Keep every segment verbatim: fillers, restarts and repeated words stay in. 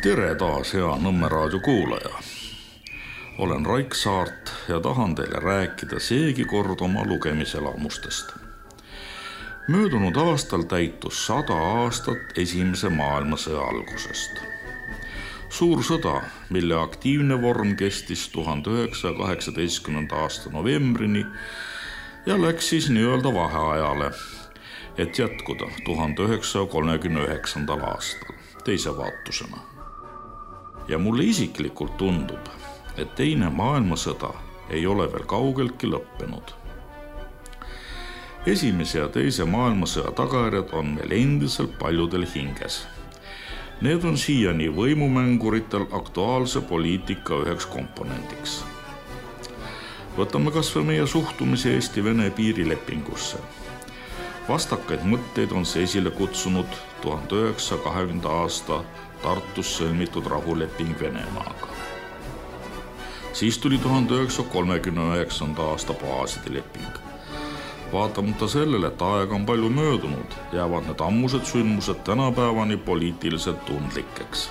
Tere taas, hea Nõmme raadio kuulaja. Olen Raik Saart ja tahan teile rääkida seegi kord oma lugemiselamustest. Möödunud aastal täitus sada aastat esimese maailmasõja algusest. Suur sõda, mille aktiivne vorm kestis tuhande üheksasaja kaheksateistkümnenda aasta novembrini ja läks siis nii-öelda vaheajale, et jätkuda tuhande üheksasaja kolmekümne üheksandal aastal teise vaatusena. Ja mulle isiklikult tundub, et teine maailmasõda ei ole veel kaugeltki lõppenud. Esimese ja teise maailmasõja tagajärjed on meil endiselt paljudel hinges. Need on siiani võimumänguritel aktuaalse poliitika üheks komponendiks. Võtame kas või meie suhtumise Eesti-Vene piirilepingusse. Vastakaid mõtteid on see esile kutsunud tuhande üheksasaja kahekümnenda aasta Tartus sõlmitud rahuleping Venemaaga. Siis tuli tuhande üheksasaja kolmekümne üheksanda aasta baaside leping. Vaatamata sellele, et aega on palju möödunud, jäävad need ammused sündmused tänapäevani poliitiliselt tundlikeks.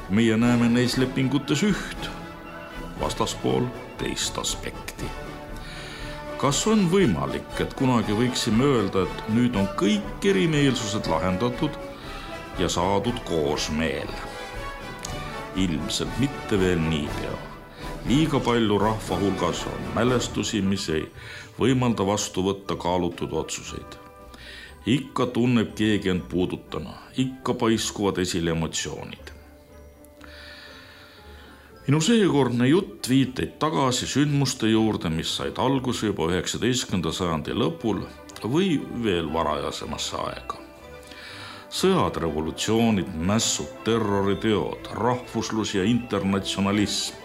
Meie näeme neis lepingutes üht, vastaspool teist aspekti. Kas on võimalik, et kunagi võiksime öelda, et nüüd on kõik erimeelsused lahendatud ja saadud koosmeel? Ilmselt mitte veel niipea. Liiga palju rahva hulgas on mälestusi, mis ei võimalda vastu võtta kaalutud otsuseid. Ikka tunneb keegi end puudutana, ikka paiskuvad esile emotsioonid. Minu seekordne jutt viiteid tagasi sündmuste juurde, mis said alguse juba üheksateistkümnenda sajandi lõpul või veel varajasemasse aega. Sõjad, revolutsioonid, mässud, terroriteod, rahvuslus ja internatsionalism,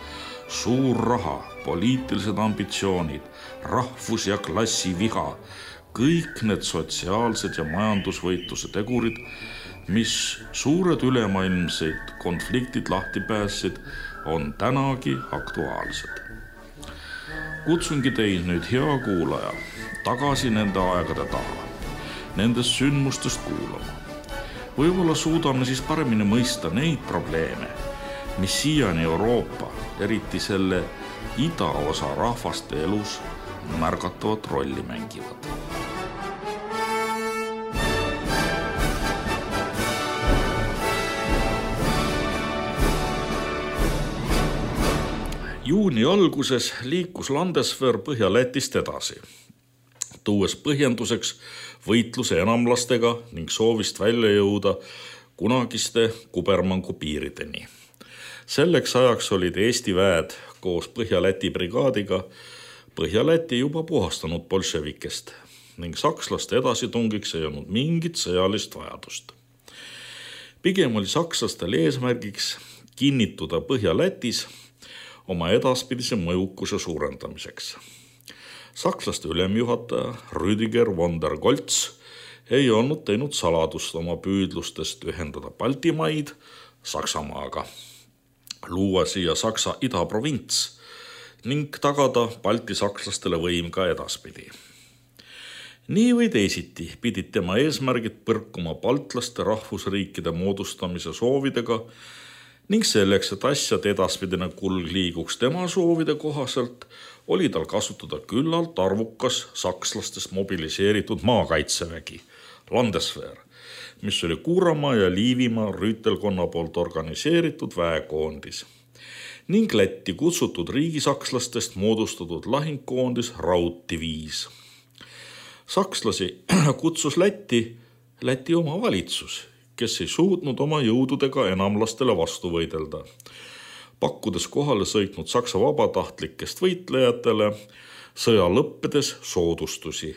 suur raha, poliitilised ambitsioonid, rahvus- ja klassiviha, kõik need sotsiaalsed ja majandusvõitluse tegurid, mis suured ülemaailmseid konfliktid lahti päässid, on tänagi aktuaalsed. Kutsungi teid nüüd, hea kuulaja, tagasi nende aegade taha, nendest sündmustest kuulama. Võib-olla suudame siis paremini mõista neid probleeme, mis siiani Euroopa, eriti selle idaosa rahvaste elus märgatavat rolli mängivad. Juuni alguses liikus Landeswehr Põhja-Lätist edasi, tuues põhjenduseks võitluse enamlastega ning soovist välja jõuda kunagiste Kubermangu piirideni. Selleks ajaks olid Eesti väed koos Põhja-Läti brigaadiga Põhja-Läti juba puhastanud bolševikest ning sakslaste edasitungiks ei olnud mingit sõjalist vajadust. Pigem oli sakslastel eesmärgiks kinnituda Põhja-Lätis oma edaspidise mõjukuse suurendamiseks. Sakslaste ülemjuhataja Rüdiger von der Goltz ei olnud teinud saladust oma püüdlustest ühendada Baltimaid Saksamaaga, luua siia Saksa idaprovints ning tagada Balti sakslastele võim ka edaspidi. Nii või teisiti pidid tema eesmärgid põrkuma baltlaste rahvusriikide moodustamise soovidega ning selleks, et asjad edaspidine kulg liiguks tema soovide kohaselt, oli tal kasutada küllalt arvukas sakslastest mobiliseeritud maakaitsevägi, Landeswehr, mis oli Kuuramaa ja Liivimaa rüütelkonna poolt organiseeritud väekoondis ning Lätti kutsutud riigisakslastest moodustatud lahingkoondis Rauddiviis. Sakslasi kutsus Lätti, Läti oma valitsus, kes ei suutnud oma jõududega enamlastele vastu võidelda, pakkudes kohale sõitnud Saksa vabatahtlikest võitlejatele sõja lõppedes soodustusi.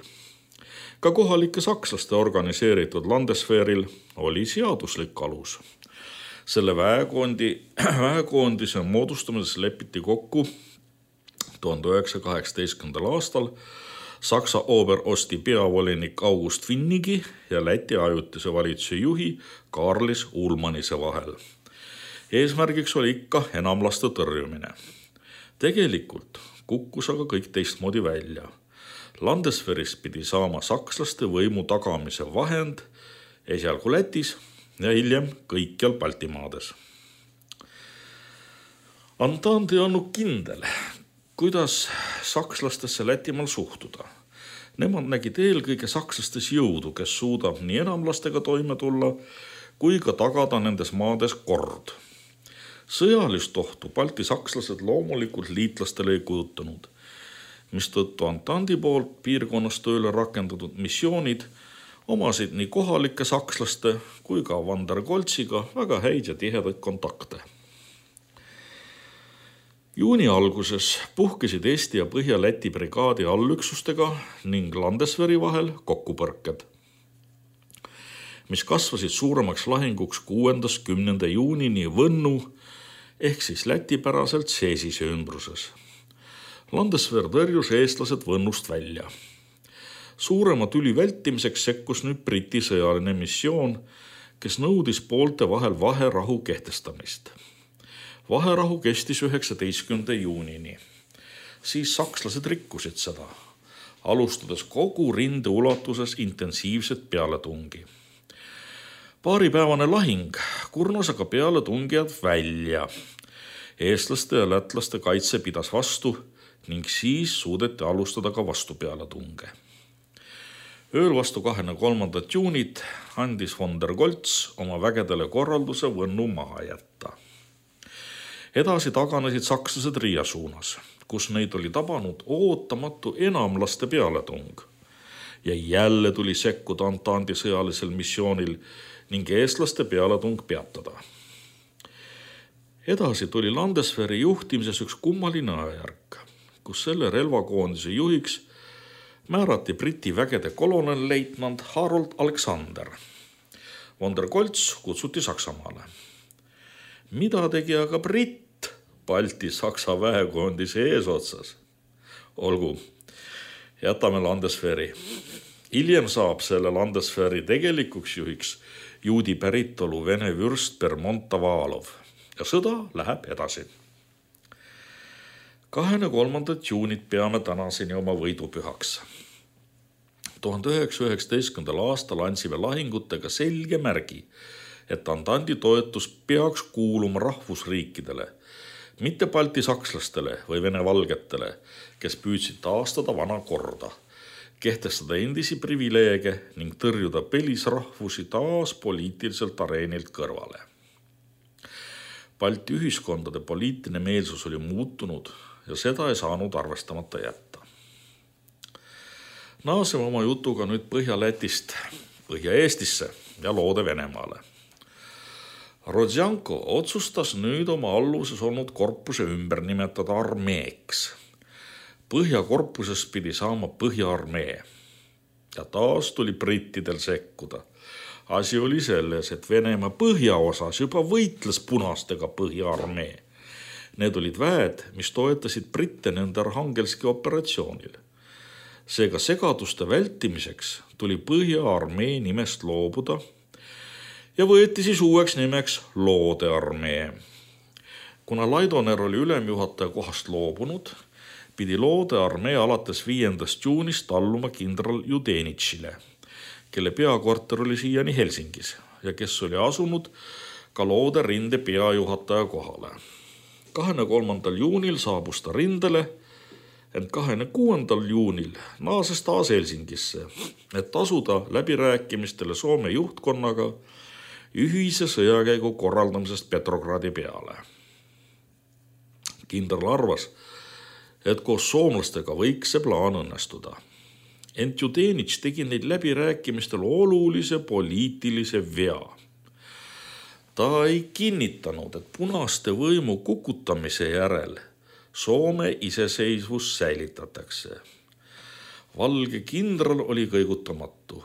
Ka kohalike sakslaste organiseeritud Landeswehril oli seaduslik alus. Selle väekondi, väekoondise moodustamises lepiti kokku tuhande üheksasaja kaheksateistkümnendal aastal Saksa Oberosti peavolinik August Winnigi ja Läti ajutise valitsuse juhi Karlis Ulmanise vahel. Eesmärgiks oli ikka enamlaste tõrjumine. Tegelikult kukkus aga kõik teistmoodi välja. Landeswehrist pidi saama sakslaste võimu tagamise vahend esialgu Lätis ja hiljem kõikjal Baltimaades. Antandi on olnud kindel, kuidas sakslastesse Lätimaal suhtuda. Nemad nägid eelkõige sakslastes jõudu, kes suudab nii enamlastega toime tulla, kui ka tagada nendes maades kord. Sõjalist ohtu Balti sakslased loomulikult liitlastele ei kujutanud, mistõttu Antandi poolt piirkonnas tööle rakendatud missioonid omasid nii kohalike sakslaste kui ka Van der Goltziga väga häid ja tihedaid kontakte. Juuni alguses puhkesid Eesti ja Põhja-Läti brigaadi allüksustega ning Landesveri vahel kokkupõrked, mis kasvasid suuremaks lahinguks kuuendast kümnenda juunini Võnnu ehk siis lätipäraselt Seesise ümbruses. Landesver tõrjus eestlased Võnnust välja. Suurema tüli vältimiseks sekkus nüüd Briti sõjaline missioon, kes nõudis poolte vahel vaherahu kehtestamist. Vaherahu kestis üheksateistkümnenda juunini. Siis sakslased rikkusid seda, alustades kogu rinde ulatuses intensiivset pealetungi. Paaripäevane lahing kurnas aga pealetungijad välja. Eestlaste ja lätlaste kaitse pidas vastu ning siis suudeti alustada ka vastu pealetunge. Ööl vastu kahekümne kolmandat juunit andis Van der Goltz oma vägedele korralduse Võnnu maha jätta. Edasi taganesid sakslased Riia suunas, kus neid oli tabanud ootamatu enamlaste pealetung. Ja jälle tuli sekkuda Antandi sõjalisel missioonil ning eestlaste pealetung peatada. Edasi tuli Landesveri juhtimises üks kummaline ajärk, kus selle relvakoondise juhiks määrati Briti vägede kolonelleitnant Harold Alexander. Van der Goltz kutsuti Saksamaale. Mida tegi aga Britt Balti-Saksa väekoondise eesotsas? Olgu, jätame Landesveri. Hiljem saab selle Landesveri tegelikuks juhiks juudi päritolu vene vürst Bermont Tavalov ja sõda läheb edasi. kahekümne kolmandat juunit peame tänaseni oma võidupühaks. tuhande üheksasaja üheksateistkümnendal aastal andsime lahingutega selge märgi, et Antandi toetus peaks kuuluma rahvusriikidele, mitte Balti sakslastele või vene valgetele, kes püüdsid taastada vana korda, kehtestada endisi privileege ning tõrjuda pelisrahvusi taas poliitiliselt areenilt kõrvale. Balti ühiskondade poliitiline meelsus oli muutunud ja seda ei saanud arvestamata jätta. Naaseme oma jutuga nüüd Põhja-Lätist Põhja-Eestisse ja Loode Venemaale. Rodzjanko otsustas nüüd oma alluvuses olnud korpuse ümber nimetada armeeks. Põhjakorpuses pidi saama Põhja-armee. Ja taas tuli brittidel sekkuda. Asi oli selles, et Venemaa põhjaosas juba võitles punastega Põhja-armee. Need olid väed, mis toetasid britte nende Arhangelski operatsioonil. Seega segaduste vältimiseks tuli Põhja-armee nimest loobuda ja võeti siis uueks nimeks Loode armee. Kuna Laidoner oli ülemjuhataja kohast loobunud, pidi Loode armee alates viiendast juunist alluma kindral Judenitšile, kelle peakorter oli siiani Helsingis ja kes oli asunud ka Loode rinde peajuhataja kohale. kahekümne kolmandal juunil saabus ta rindele, ent kahekümne kuuendal juunil naases taas Helsingisse, et asuda läbirääkimistele Soome juhtkonnaga ühise sõjakäigu korraldamisest Petrogradi peale. Kindral arvas, et koos soomlastega võiks see plaan õnnestuda. Ent Judenitš tegi neid läbirääkimistel olulise poliitilise vea. Ta ei kinnitanud, et punaste võimu kukutamise järel Soome iseseisvus säilitatakse. Valge kindral oli kõigutamatu.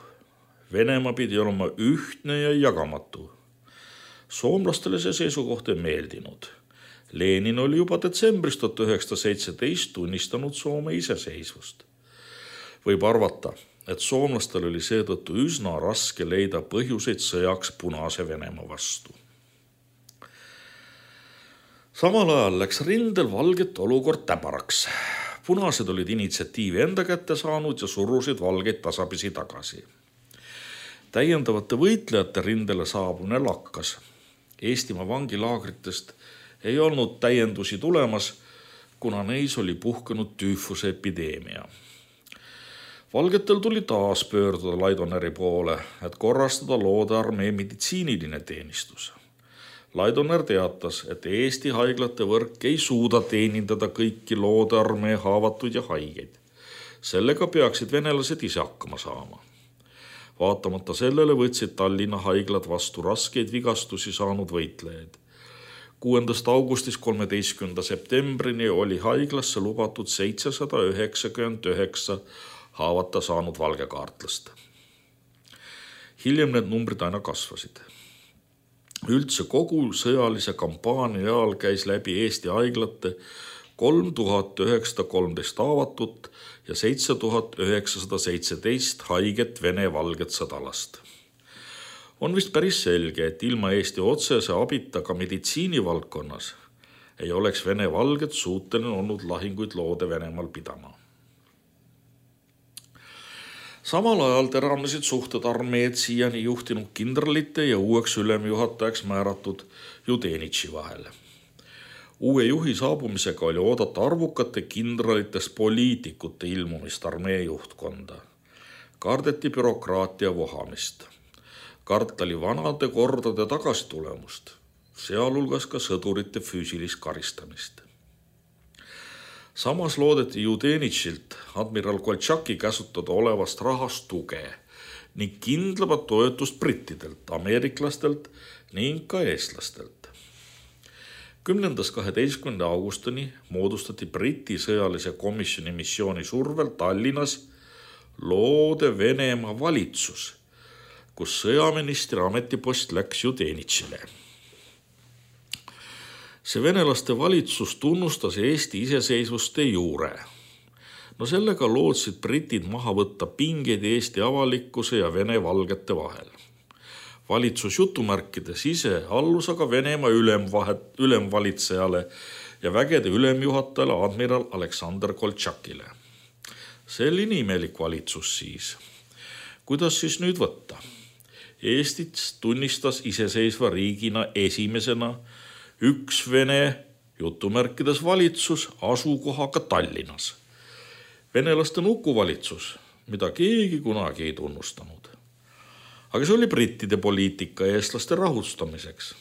Venemaa pidi olema ühtne ja jagamatu. Soomlastele see seisukoht ei meeldinud. Lenin oli juba detsembris tuhat üheksasada seitseteist tunnistanud Soome iseseisvust. Võib arvata, et soomlastel oli seetõttu üsna raske leida põhjuseid sõjaks punase Venemaa vastu. Samal ajal läks rindel valget olukord täbaraks. Punased olid initsiatiivi enda kätte saanud ja surusid valgeid tasapisi tagasi. Täiendavate võitlejate rindele saabumine lakkas. Eestimaa vangilaagritest ei olnud täiendusi tulemas, kuna neis oli puhkenud tüüfuse epideemia. Valgetel tuli taas pöörduda Laidoneri poole, et korrastada Loode armee meditsiiniline teenistus. Laidoner teatas, et Eesti haiglate võrk ei suuda teenindada kõiki Loode armee haavatuid ja haigeid. Sellega peaksid venelased ise hakkama saama. Vaatamata sellele võtsid Tallinna haiglad vastu raskeid vigastusi saanud võitlejaid. kuuendast augustist kolmeteistkümnenda septembrini oli haiglasse lubatud seitsesada üheksakümmend üheksa haavata saanud valgekaartlast. Hiljem need numbrid aina kasvasid. Üldse kogu sõjalise kampaania ajal käis läbi Eesti haiglate kolm tuhat üheksasada kolmteist haavatut ja seitse tuhat üheksasada seitseteist haiget vene valget sõdalast. On vist päris selge, et ilma Eesti otsese abita ka meditsiinivaldkonnas ei oleks vene valget suuteline olnud lahinguid Loode Venemaal pidama. Samal ajal teravnesid suhted armeed siiani juhtinud kindralite ja uueks ülemjuhatajaks määratud Judenitši vahel. Uue juhi saabumisega oli oodata arvukate kindralitest poliitikute ilmumist armee juhtkonda. Kardeti bürokraatia vohamist. Kartali vanade kordade tagasitulemust, sealhulgas ka sõdurite füüsilist karistamist. Samas loodeti Judenitšilt admiral Koltšaki käsutada olevast rahast tuge ning kindlamat toetust brittidelt, ameeriklastelt ning ka eestlastelt. kümnendast kaheteistkümnenda augustini moodustati Briti sõjalise komisjoni missiooni survel Tallinnas Loode Venemaa valitsus, kus sõjaministri ametipost läks Judenitšile. See venelaste valitsus tunnustas Eesti iseseisvust de jure. No sellega lootsid britid maha võtta pingeid Eesti avalikkuse ja vene valgete vahel. Valitsus jutumärkides ise allus aga Venemaa ülemvahet, ülemvalitsejale ja vägede ülemjuhatajale admiral Aleksander Koltšakile. See oli imelik valitsus siis. Kuidas siis nüüd võtta? Eestit tunnistas iseseisva riigina esimesena üks Vene jutumärkides valitsus asukohaga Tallinnas. Venelaste nukuvalitsus, mida keegi kunagi ei tunnustanud. Aga see oli brittide poliitika eestlaste rahustamiseks.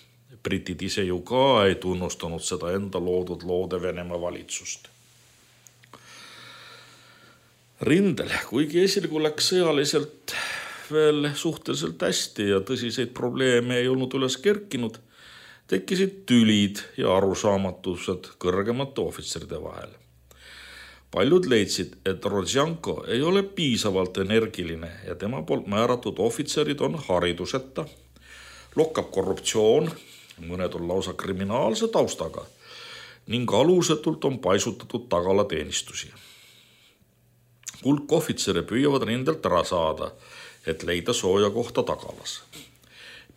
Britid ise ju ka ei tunnustanud seda enda loodud Loode Venemaa valitsust. Rindel, kuigi esialgu läks sõjaliselt veel suhteliselt hästi ja tõsiseid probleeme ei olnud üles kerkinud, tekkisid tülid ja arusaamatused kõrgemate ohvitseride vahel. Paljud leidsid, et Rodjanko ei ole piisavalt energiline ja tema poolt määratud ohvitserid on hariduseta, lokkab korruptsioon, mõned on lausa kriminaalse taustaga ning alusetult on paisutatud tagalateenistusi. Hulk ohvitsere püüavad rindelt ära saada, et leida sooja kohta tagalas.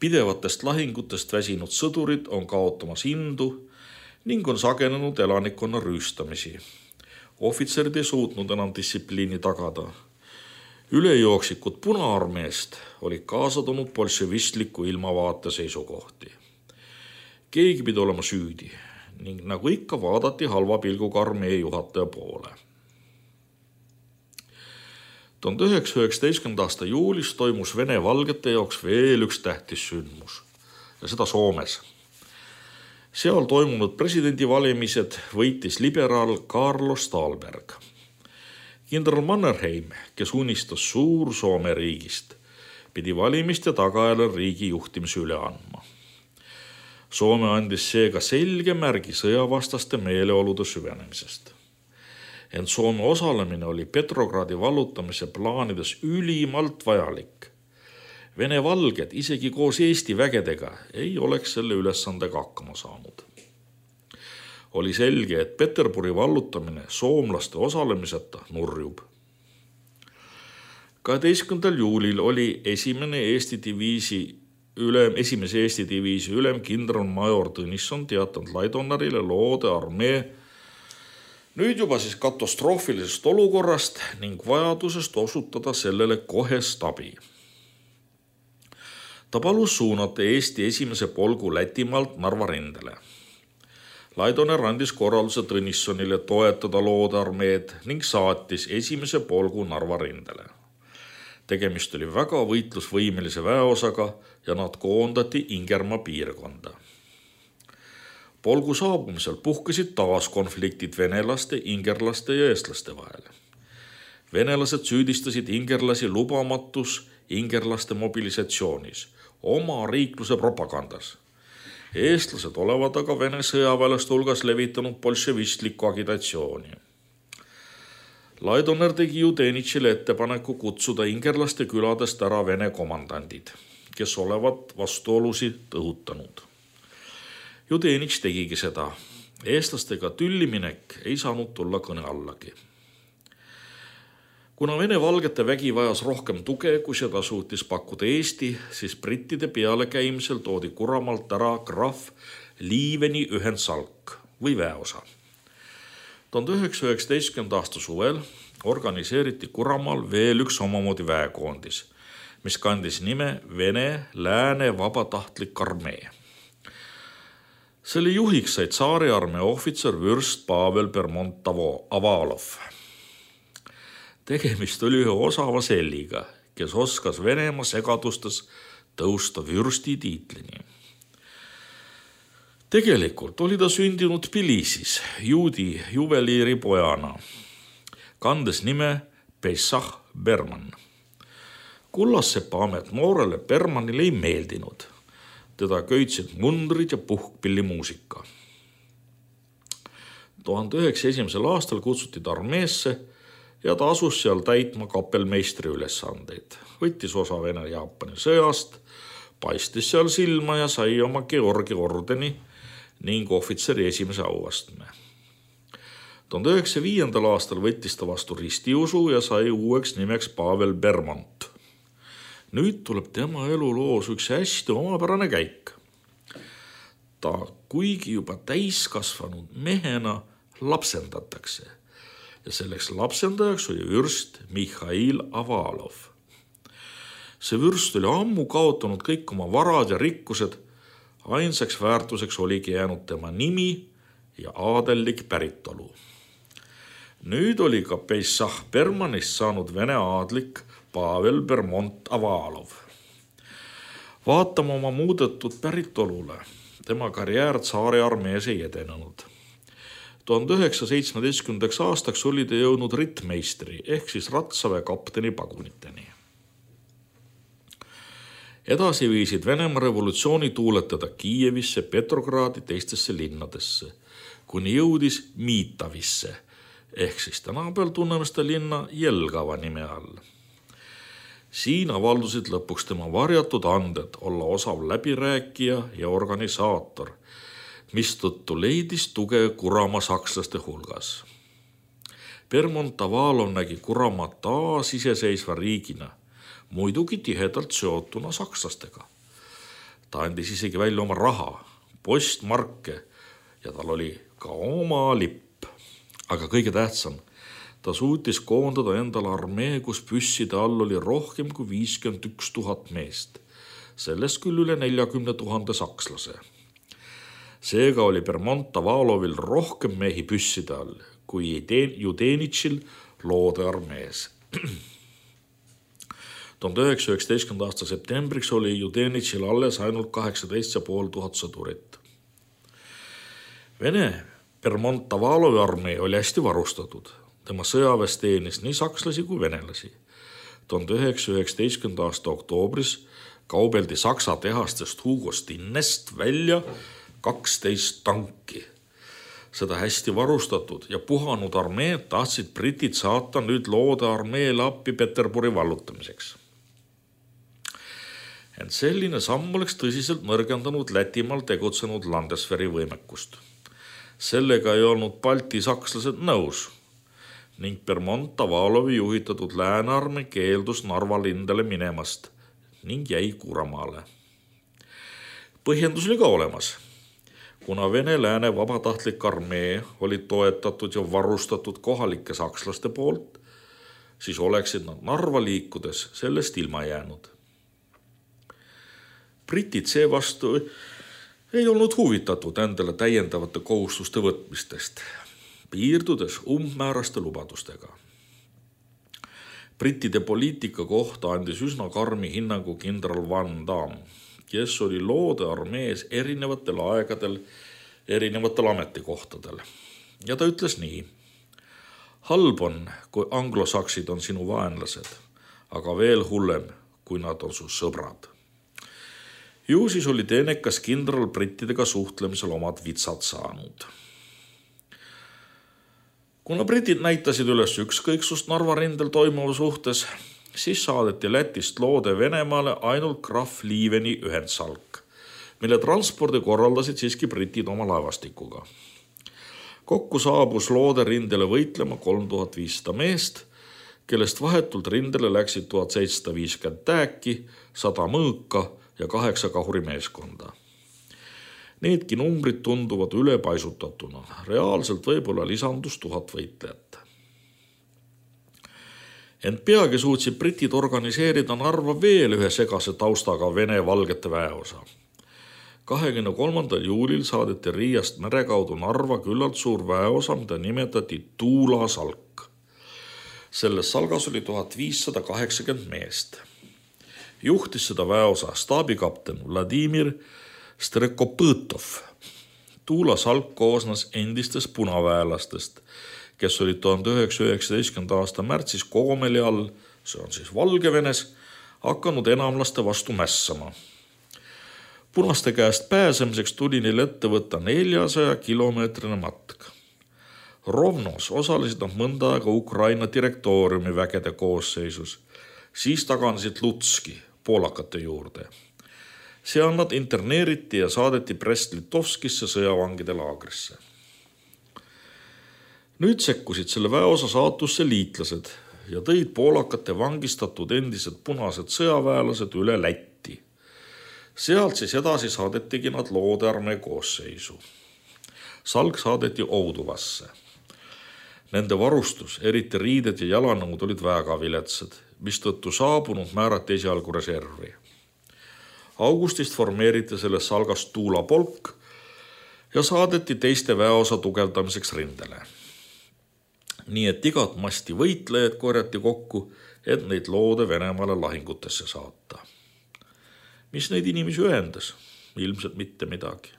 Pidevatest lahingutest väsinud sõdurid on kaotamas indu ning on sagenenud elanikkonna rüüstamisi. Ohvitserid ei suutnud enam distsipliini tagada. Ülejooksikud Punaarmeest olid kaasa toonud bolševistliku ilmavaate seisukohti. Keegi pidi olema süüdi ning nagu ikka vaadati halva pilguga armee juhataja poole. tuhande üheksasaja üheksateistkümnenda aasta juulis toimus Vene valgete jaoks veel üks tähtis sündmus ja seda Soomes. Seal toimunud presidendivalimised võitis liberaal Carlos Dahlberg. Kindral Mannerheim, kes unistas suur Soome riigist, pidi valimiste tagajärjel riigi juhtimise üle andma. Soome andis seega selge märgi sõjavastaste meeleolude süvenemisest. Ent Soome osalemine oli Petrogradi vallutamise plaanides ülimalt vajalik. Vene valged isegi koos Eesti vägedega ei oleks selle ülesandega hakkama saanud. Oli selge, et Peterburi vallutamine soomlaste osalemiseta nurjub. kaheteistkümnendal juulil oli esimene Eesti diviisi ülem, esimese Eesti diviisi ülem kindralmajor Tõnisson teatanud Laidonerile Loode armee nüüd juba siis katastroofilisest olukorrast ning vajadusest osutada sellele kohest abi. Ta palus suunata Eesti esimese polgu Lätimaalt Narva rindele. Laidoner andis korralduse Tõnissonile toetada loodearmeed ning saatis esimese polgu Narva rindele. Tegemist oli väga võitlusvõimelise väeosaga ja nad koondati Ingermaa piirkonda. Polgu saabumisel puhkesid taas konfliktid venelaste, ingerlaste ja eestlaste vahel. Venelased süüdistasid ingerlasi lubamatus ingerlaste mobilisatsioonis, oma riikluse propagandas. Eestlased olevat aga Vene sõjaväelaste hulgas levitanud bolševistlikku agitatsiooni. Laidoner tegi Judenitšile ettepaneku kutsuda ingerlaste küladest ära Vene komandandid, kes olevat vastuolusid õhutanud. Judenitš tegigi seda. Eestlastega tülliminek ei saanud tulla kõne allagi. Kuna Vene valgete vägi vajas rohkem tuge, kui seda suutis pakkuda Eesti, siis brittide pealekäimisel toodi Kuramaalt ära krahv Liiveni ühendsalk või väeosa. tuhande üheksasaja üheksateistkümnenda aasta suvel organiseeriti Kuramaal veel üks omamoodi väekoondis, mis kandis nime Vene Lääne vabatahtlik armee. Selle juhiks sai tsaariarmee ohvitser vürst Pavel Bermondt-Avalov. Tegemist oli ühe osava selliga, kes oskas Venemaa segadustes tõusta vürsti tiitlini. Tegelikult oli ta sündinud Tbilisis juudi juveliiri pojana, kandes nime Pessach Berman. Kullassepa amet noorele Bermanile ei meeldinud. Teda köitsid mundrid ja puhkpillimuusika. tuhande üheksasaja esimesel aastal kutsuti ta armeesse ja ta asus seal täitma kapelmeistri ülesandeid. Võttis osa Vene-Jaapani sõjast, paistis seal silma ja sai oma Georgi ordeni ning ohvitseri esimese auastme. tuhande üheksasaja viiendal aastal võttis ta vastu ristiusu ja sai uueks nimeks Pavel Bermondt. Nüüd tuleb tema eluloos üks hästi omapärane käik. Ta kuigi juba täiskasvanud mehena lapsendatakse ja selleks lapsendajaks oli vürst Mihhail Avalov. See vürst oli ammu kaotanud kõik oma varad ja rikkused, ainsaks väärtuseks oligi jäänud tema nimi ja aadellik päritolu. Nüüd oli ka Pessach Bermanist saanud Vene aadlik Pavel Bermondt-Avalov. Vaatama oma muudetud päritolule, tema karjäär tsaariarmees ei edenenud. tuhande üheksasaja seitsmeteistkümnendaks aastaks oli ta jõudnud rittmeistri ehk siis ratsaväe kapteni paguniteni. Edasi viisid Venemaa revolutsiooni tuuletada Kiievisse, Petrogradi, teistesse linnadesse, kuni jõudis Miitavisse ehk siis tänapäeval tunneme seda linna Jelgava nime all. Siin avaldusid lõpuks tema varjatud anded olla osav läbirääkija ja organisaator, mistõttu leidis tuge Kuramaa sakslaste hulgas. Bermondt-Avalov nägi Kuramaa taas iseseisva riigina, muidugi tihedalt seotuna sakslastega. Ta andis isegi välja oma raha, postmarke ja tal oli ka oma lipp. Aga kõige tähtsam, ta suutis koondada endale armee, kus püsside all oli rohkem kui viiskümmend üks tuhat meest. Sellest küll üle neljakümne tuhande sakslase. Seega oli Bermondt-Avalovil rohkem mehi püsside all kui Judenitšil loode armees. tuhande üheksasaja üheksateistkümnenda aasta septembriks oli Judenitšil alles ainult kaheksateist ja pool tuhat sõdurit. Vene Bermondt-Avalovi armee oli hästi varustatud. Tema sõjaväes teenis nii sakslasi kui venelasi. tuhande üheksasaja üheksateistkümnenda aasta oktoobris kaubeldi Saksa tehastest Hugo Stinnest välja kaksteist tanki. Seda hästi varustatud ja puhanud armeed tahtsid britid saata nüüd loode armeele appi Peterburi vallutamiseks. Ent selline samm oleks tõsiselt nõrgendanud Lätimaal tegutsenud Landesveri võimekust. Sellega ei olnud Balti sakslased nõus ning Bermondt-Avalovi juhitatud läänearmee keeldus Narva lindele minemast ning jäi Kuramaale. Põhjendus oli ka olemas. Kuna Vene lääne vabatahtlik armee oli toetatud ja varustatud kohalike sakslaste poolt, siis oleksid nad Narva liikudes sellest ilma jäänud. Britid seevastu ei olnud huvitatud endale täiendavate kohustuste võtmistest, piirdudes umbmääraste lubadustega. Brittide poliitika kohta andis üsna karmi hinnangu kindral Van Damme, kes oli loode armees erinevatel aegadel, erinevatel ametikohtadel. Ja ta ütles nii: halb on, kui anglosaksid on sinu vaenlased, aga veel hullem, kui nad on su sõbrad. Ju siis oli teenekas kindral brittidega suhtlemisel omad vitsad saanud. Kuna britid näitasid üles ükskõiksust Narva rindel toimuva suhtes, siis saadeti Lätist loode Venemaale ainult Graf Liiveni ühendsalk, mille transpordi korraldasid siiski britid oma laevastikuga. Kokku saabus loode rindele võitlema kolm tuhat viissada meest, kellest vahetult rindele läksid tuhat seitsesada viiskümmend tääki, sada mõõka ja kaheksa kahurimeeskonda. Needki numbrid tunduvad ülepaisutatuna, reaalselt võib-olla lisandus tuhat võitlejat. Ent peagi suutsid britid organiseerida Narva veel ühe segase taustaga Vene valgete väeosa. kahekümne kolmandal juulil saadeti Riiast mere kaudu Narva küllalt suur väeosa, mida nimetati Tuula salk. Selles salgas oli tuhat viissada kaheksakümmend meest. Juhtis seda väeosa staabikapten Vladimir Strekopõtov. Tuula salk koosnes endistest punaväelastest, kes olid tuhande üheksasaja üheksateistkümnenda aasta märtsis Koomeli all, see on siis Valgevenes, hakanud enamlaste vastu mässama. Punaste käest pääsemiseks tuli neil ette võtta neljasaja kilomeetrine matk. Rovnos osalesid nad mõnda aega Ukraina direktooriumi vägede koosseisus, siis taganesid Lutski poolakate juurde. Seal nad interneeriti ja saadeti Brest-Litovskisse sõjavangide laagrisse. Nüüd sekkusid selle väeosa saatusse liitlased ja tõid poolakate vangistatud endised punased sõjaväelased üle Lätti. Sealt siis edasi saadetigi nad loodearmee koosseisu. Salk saadeti Ouduvasse. Nende varustus, eriti riided ja jalanõud olid väga viletsad, mistõttu saabunud määrati esialgu reservi. Augustist formeeriti selles salgast Tuula polk ja saadeti teiste väeosa tugevdamiseks rindele. Nii et igat masti võitlejad korjati kokku, et neid loode Venemaale lahingutesse saata. Mis neid inimesi ühendas? Ilmselt mitte midagi.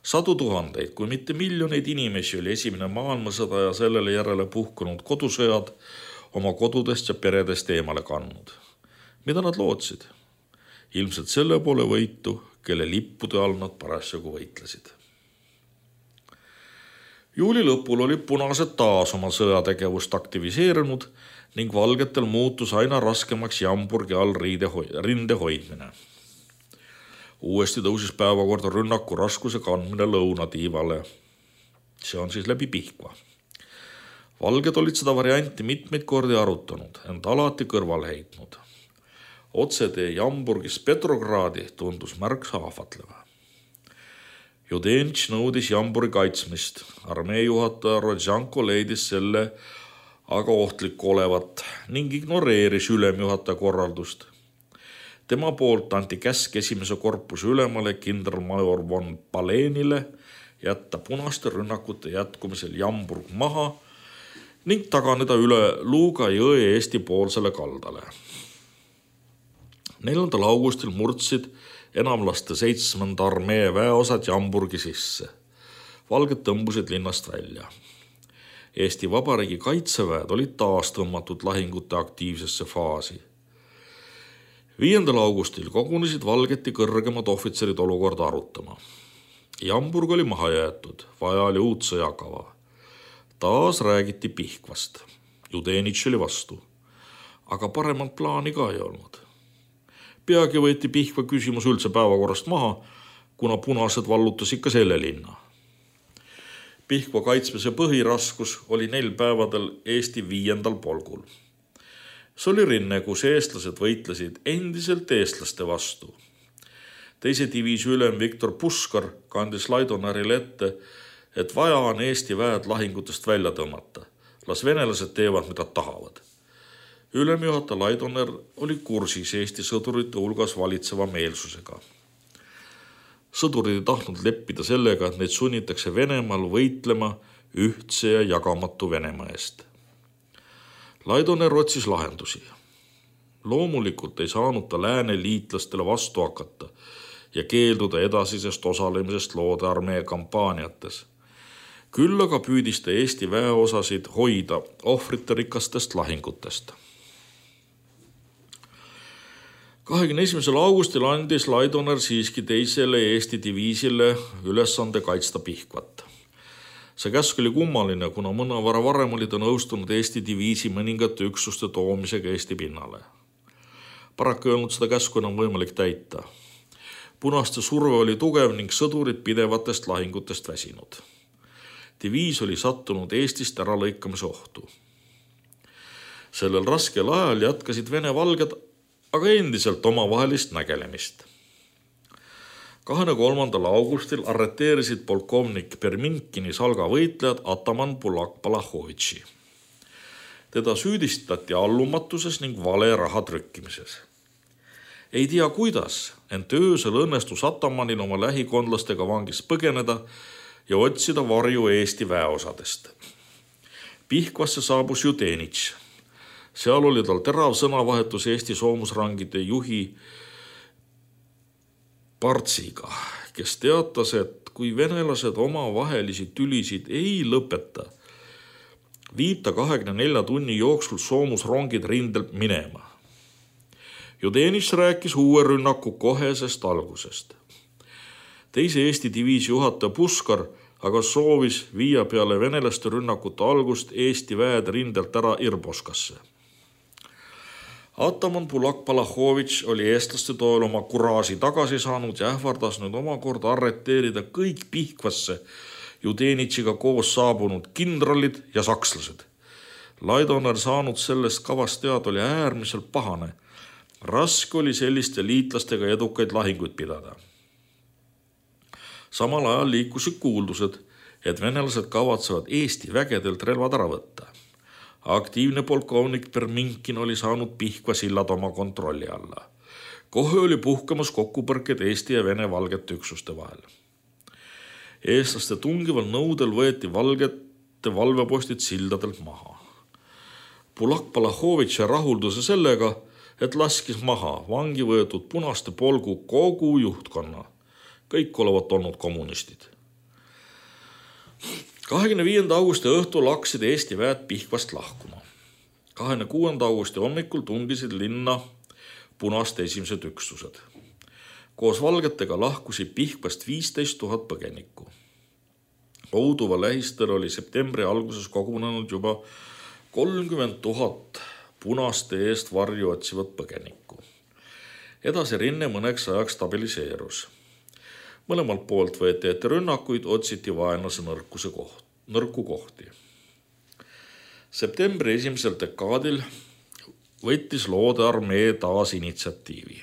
Sadu tuhandeid, kui mitte miljoneid inimesi oli esimene maailmasõda ja sellele järele puhkunud kodusõjad oma kodudest ja peredest eemale kandnud. Mida nad lootsid? Ilmselt selle poole võitu, kelle lippude all nad parasjagu võitlesid. Juuli lõpul oli punased taas oma sõjategevust aktiviseerinud ning valgetel muutus aina raskemaks Jamburgi all rinde hoidmine. Uuesti tõusis päevakorda rünnaku raskuse kandmine lõunatiivale. See on siis läbi Pihkva. Valged olid seda varianti mitmeid kordi arutanud, ent alati kõrval heitnud. Otsetee Jamburgist Petrogradi tundus märksa ahvatleva. Judenitš nõudis Jamburgi kaitsmist. Armee juhataja Rodžanko leidis selle aga ohtlik olevat ning ignoreeris ülemjuhataja korraldust. Tema poolt anti käsk esimese korpuse ülemale kindralmajor von Palenile jätta punaste rünnakute jätkumisel Jamburg maha ning taganeda üle Luuga jõe Eesti poolsele kaldale. neljandal augustil murdsid enamlaste seitsmenda armee väeosad Jamburgi sisse. Valged tõmbusid linnast välja. Eesti Vabariigi kaitseväed olid taas tõmmatud lahingute aktiivsesse faasi. viiendal augustil kogunesid valgeti kõrgemad ohvitserid olukorda arutama. Jamburg oli maha jäetud, vaja oli uut sõjakava. Taas räägiti Pihkvast. Judenitš oli vastu. Aga paremat plaani ka ei olnud. Peagi võeti Pihkva küsimus üldse päevakorrast maha, kuna punased vallutas ikka selle linna. Pihkva kaitsmise põhiraskus oli neil päevadel Eesti viiendal polgul. See oli rinne, kus eestlased võitlesid endiselt eestlaste vastu. Teise diviisi ülem Viktor Puskar kandis Laidonerile ette, et vaja on Eesti väed lahingutest välja tõmmata. Las venelased teevad, mida tahavad. Ülemjuhataja Laidoner oli kursis Eesti sõdurite hulgas valitseva meelsusega. Sõdurid ei tahtnud leppida sellega, et neid sunnitakse Venemaal võitlema ühtse ja jagamatu Venemaa eest. Laidoner otsis lahendusi. Loomulikult ei saanud ta lääne liitlastele vastu hakata ja keelduda edasisest osalemisest Loode armee kampaaniates. Küll aga püüdis ta Eesti väeosasid hoida ohvritarikastest lahingutest. kahekümne esimesel augustil andis Laidoner siiski teisele Eesti diviisile ülesande kaitsta Pihkvat. See käsk oli kummaline, kuna mõnevõrra varem oli ta nõustunud Eesti diviisi mõningate üksuste toomisega Eesti pinnale. Paraku ei olnud seda käsku enam võimalik täita. Punaste surve oli tugev ning sõdurid pidevatest lahingutest väsinud. Diviis oli sattunud Eestist ära lõikamise ohtu. Sellel raskel ajal jätkasid Vene valged aga endiselt omavahelist nägelemist. kahekümne kolmandal augustil arreteerisid polkovnik Perminkini salga võitlejad ataman Bulak-Balakhovitši. Teda süüdistati allumatuses ning vale raha trükkimises. Ei tea kuidas, ent öösel õnnestus atamanil oma lähikondlastega vangist põgeneda ja otsida varju Eesti väeosadest. Pihkvasse saabus Judenitš. Seal oli tal terav sõnavahetus Eesti soomusrangide juhi Partsiga, kes teatas, et kui venelased oma vahelisi tülisid ei lõpeta, viib ta kahekümne nelja tunni jooksul soomusrongid rindelt minema. Judenitš rääkis uue rünnaku kohesest algusest. Teise Eesti diviisi juhataja Puskar aga soovis viia peale venelaste rünnakute algust Eesti väed rindelt ära Irboskasse. Ataman Bulak-Balakhovitš oli eestlaste toel oma kuraasi tagasi saanud ja ähvardas nüüd omakorda arreteerida kõik Pihkvasse Judenitšiga koos saabunud kindralid ja sakslased. Laidoner saanud sellest kavast teada oli äärmiselt pahane. Raske oli selliste liitlastega edukaid lahinguid pidada. Samal ajal liikusid kuuldused, et venelased kavatsevad Eesti vägedelt relvad ära võtta. Aktiivne polkovnik Perminkin oli saanud Pihkva sillad oma kontrolli alla. Kohe oli puhkamas kokkupõrked Eesti ja Vene valgete üksuste vahel. Eestlaste tungival nõudel võeti valgete valvepostid sildadelt maha. Bulak-Balakhovitš rahulduse sellega, et laskis maha vangi võetud punaste polgu kogu juhtkonna. Kõik olevat olnud kommunistid. kahekümne viienda augusti õhtul hakkasid Eesti väed Pihkvast lahkuma. kahekümne kuuenda augusti hommikul tungisid linna punaste esimesed üksused. Koos valgetega lahkusid Pihkvast viisteist tuhat põgenikku. Ouduva lähistel oli septembri alguses kogunenud juba kolmkümmend tuhat punaste eest varju otsivat põgenikku. Edasi rinne mõneks ajaks stabiliseerus. Mõlemalt poolt võeti ette rünnakuid, otsiti vaenlase nõrkuse koht, nõrku kohti. Septembri esimesel dekaadil võttis Loode armee taas initsiatiivi.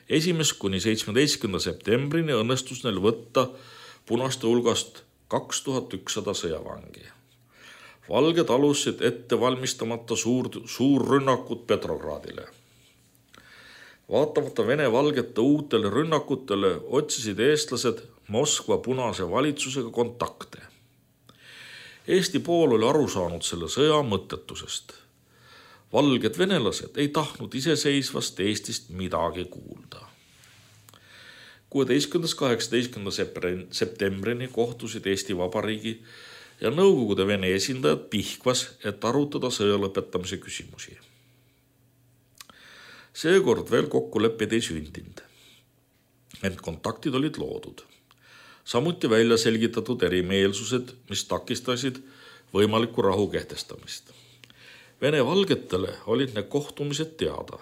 Esimest kuni seitsmeteistkümnenda septembrini õnnestus neil võtta punaste hulgast kaks tuhat ükssada sõjavangi. Valged alusid ette valmistamata suur, suur rünnakut Petrogradile. Vaatamata Vene valgete uutele rünnakutele otsisid eestlased Moskva punase valitsusega kontakte. Eesti pool oli aru saanud selle sõja mõttetusest. Valged venelased ei tahtnud iseseisvast Eestist midagi kuulda. kuueteistkümnendast kaheksateistkümnenda septembrini kohtusid Eesti Vabariigi ja Nõukogude Vene esindajad Pihkvas, et arutada sõja lõpetamise küsimusi. Seekord veel kokkuleppeid ei sündinud, ent kontaktid olid loodud. Samuti välja selgitatud erimeelsused, mis takistasid võimaliku rahu kehtestamist. Vene valgetele olid need kohtumised teada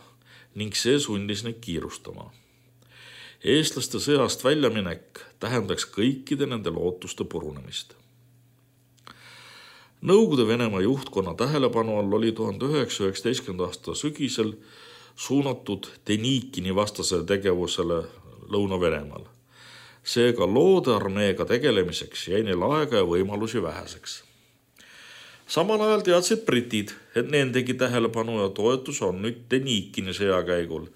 ning see sundis neid kiirustama. Eestlaste sõjast väljaminek tähendaks kõikide nende lootuste purunemist. Nõukogude Venemaa juhtkonna tähelepanu all oli tuhande üheksasaja üheksateistkümnenda aasta sügisel suunatud Denikini vastasele tegevusele Lõuna-Venemaal. Seega Loode armeega tegelemiseks jäi neil aega ja võimalusi väheseks. Samal ajal teadsid britid, et nendegi tähelepanu ja toetus on nüüd Denikini sõjakäigul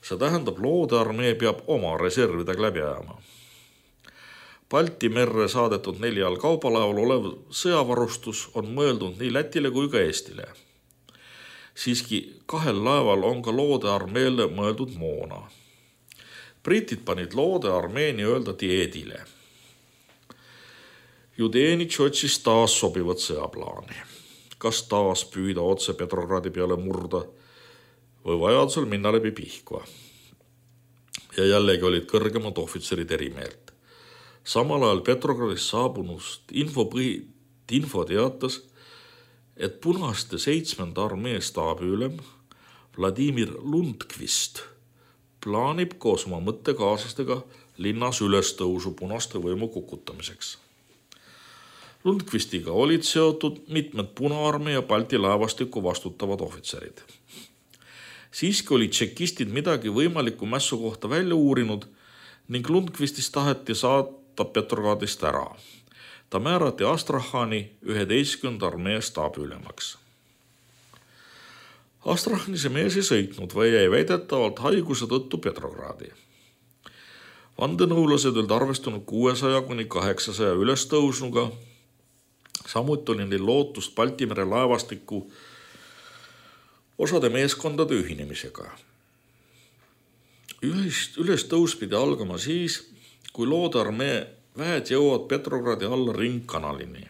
See tähendab, Loode armee peab oma reservidega läbi ajama. Balti merre saadetud neljal kaubalaeval olev sõjavarustus on mõeldud nii Lätile kui ka Eestile. Siiski kahel laeval on ka Loode armeele mõeldud moona. Britid panid Loode armee nii-öelda dieedile. Judenitš otsis taas sobivat sõjaplaani. Kas taas püüda otse Petrogradi peale murda või vajadusel minna läbi Pihkva. Ja jällegi olid kõrgemad ohvitserid eri meelt. Samal ajal Petrogradis saabunust infopõhi, info teatas, et punaste seitsmenda armee staabiülem Vladimir Lundqvist plaanib koos oma mõttekaaslastega linnas ülestõusu punaste võimu kukutamiseks. Lundqvistiga olid seotud mitmed Punaarmee ja Balti laevastiku vastutavad ohvitserid. Siiski olid tšekistid midagi võimaliku mässu kohta välja uurinud ning Lundqvistist taheti saata Petrogradist ära. Ta määrati Astrahani üheteistkümnenda armee staabiülemaks. Astrahani see mees ei sõitnud või jäi väidetavalt haiguse tõttu Petrogradi. Vandenõulased olid arvestanud kuuesaja kuni kaheksasaja ülestõusnuga. Samuti oli neil lootust Baltimere laevastiku osade meeskondade ühinemisega. Ülestõus pidi algama siis, kui Loode armee väed jõuavad Petrogradi alla ringkanalini.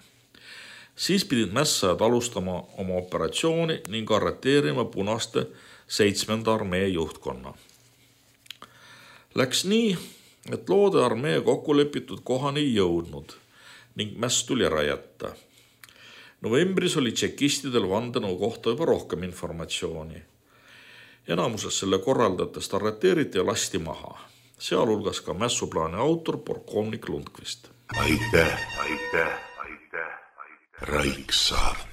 Siis pidid mässajad alustama oma operatsiooni ning arreteerima punaste seitsmenda armee juhtkonna. Läks nii, et Loode armee kokkulepitud kohani ei jõudnud ning mäss tuli ära jätta. Novembris oli tšekistidel vandenõu kohta juba rohkem informatsiooni. Enamuses selle korraldajatest arreteeriti ja lasti maha. Sealhulgas ka mässuplaani autor polkovnik Lundqvist. Aitäh, aitäh, aitäh, aitäh. Raiksaar.